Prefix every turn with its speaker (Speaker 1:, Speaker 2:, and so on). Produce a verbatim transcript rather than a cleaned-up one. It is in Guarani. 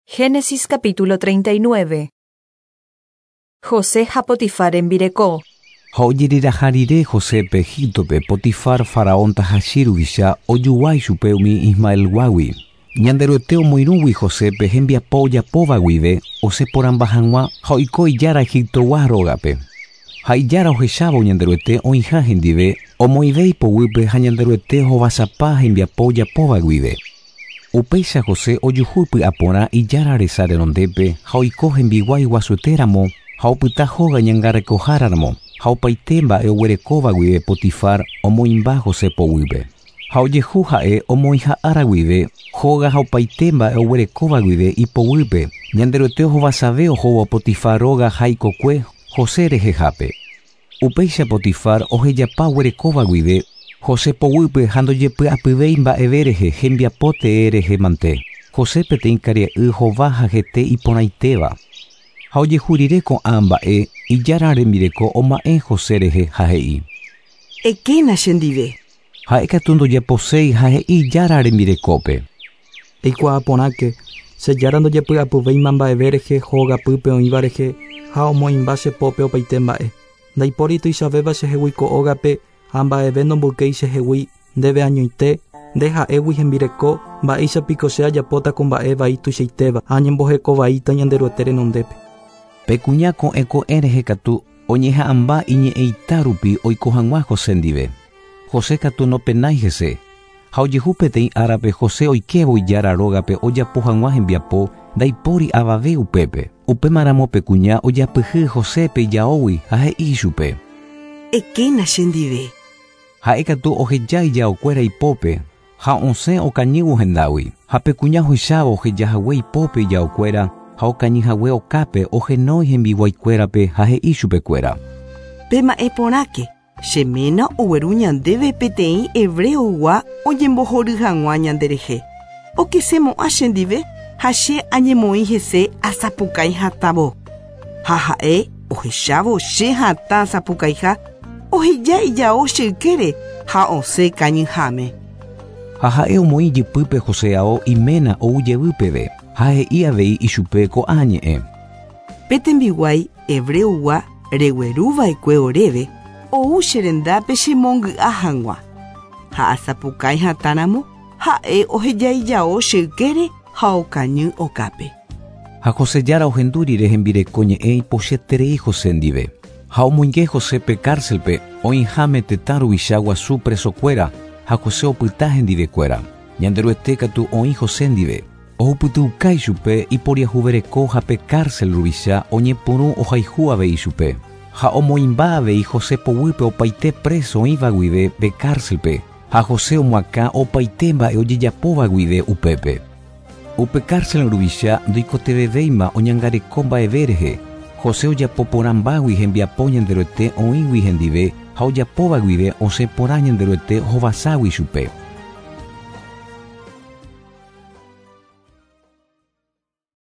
Speaker 1: Génesis capítulo treinta y nueve. José ha Potifar rembireko.
Speaker 2: Ha ojereraha rire Josépe Egíptope Potifar faraón tahachi ruvicha ojoguái chupe umi Ismaelguágui. Ñanderuete omoirũgui Josépe hembiapo ojapóva guive osẽporãmba hag̃ua ha oiko ijára Egiptogua rógape. Ha ijára ohechávo Ñanderuete oĩha hendive omoĩve ipoguýpe ha Ñanderuete hovasapa hembiapo ojapóva guive. Upéicha José ojuhu py'aporã ijára resa renondépe ha oiko hembiguái guasuetéramo ha opyta hóga ñangarekoháramo ha opaite mba'e oguerekóva guive Potifar omoĩmba José poguýpe. Ha ojehu ha'e omoĩha ára guive hóga ha opaite mba'e oguerekóva guive ipoguýpe. Ñanderuete ohovasave ohóvo Potifar róga ha ikokue José rehehápe. Upéicha Potifar ohejapa oguerekóva guive José poguýpe ha ndojepy'apyvéi mba'eve rehe hembiapo tee rehe mante. José peteĩ karia'y hova ha hete iporãitéva. Ha ojehu rire ko'ã mba'e ijára rembireko oma'ẽ José rehe ha he'i.
Speaker 3: Ekéna chendive.
Speaker 2: Ha'ékatu ndojaposéi ha he'i ijára rembirekópe.
Speaker 4: Eikuaa porãke che jára ndojepy'apyvéima mba'eve rehe hógapýpe oĩva rehe ha omoĩmba che pópe opaite mba'e. Ndaipóri tuichavéva chehegui ko ógape ha mba'eve nomboykéi chehegui ndéve añoite nde ha'égui hembireko mba'éichapiko che ajapóta ko mba'e vai tuichaitéva ha añembohekovaíta Ñanderuete renondépe.
Speaker 2: Pe kuña ko'ẽ ko'ẽ rehe katu oñeha'ãmba iñe'ẽita rupi oiko hag̃ua José ndive. José katu nopenái hese. Ha ojehu peteĩ árape José oikévo ijára rógape ojapo hag̃ua hembiapo ndaipóri avave upépe. Upémaramo pe kuña ojapyhy Josépe ijaógui ha he'i chupe.
Speaker 3: Ekéna chendive.
Speaker 2: Ha'ékatu oheja ijaokuéra ipópe ha osẽ okañývo hendágui. Ha pe kuña ohechávo ohejahague ipópe ijaokuéra ha okañyhague okápe ohenói hembiguaikuérape ha he'i chupekuéra.
Speaker 3: Pema'ẽ porãke, che ména ogueru ñandéve peteĩ hebreogua oñembohory hag̃ua ñanderehe. Okesemo'ã chendive ha che añemoĩ hese asapukái hatãvo. Ha ha'e ohechávo che hatã asapukaiha oheja ijao che ykére ha osẽ kañyháme.
Speaker 2: Ha ha'e omoĩ jypýpe José ao iména ou jevy peve ha he'i avei ichupe ko'ã ñe'ẽ.
Speaker 3: Pe tembiguái hebreogua regueruva'ekue oréve ou che rendápe chemongy'a hag̃ua. Ha asapukái hatãramo ha'e oheja ijao che ykére ha okañy okápe.
Speaker 2: Ha José jára ohendu rire hembireko ñe'ẽ ipochyeterei José ndive. Ha omoinge Josépe cárcelpe oĩháme tetã ruvicha guasu presokuéra ha José opyta hendivekuéra. Ñanderuete katu oĩ José ndive. Ohupytyukái chupe iporiahuvereko ha pe cárcel ruvicha oñepyrũ ohayhu avei chupe. Ha omoĩmba avei José poguýpe opaite preso oĩva guive pe cárcelpe ha José omoakã opaite mba'e ojejapóva guive upépe. Upe cárcel ruvicha ndoikotevevéima oñangareko mba'eve rehe. José ojapo porãmbágui hembiapo Ñanderuete oĩgui hendive ha ojapóva guive osẽ porã Ñanderuete hovaságui chupe.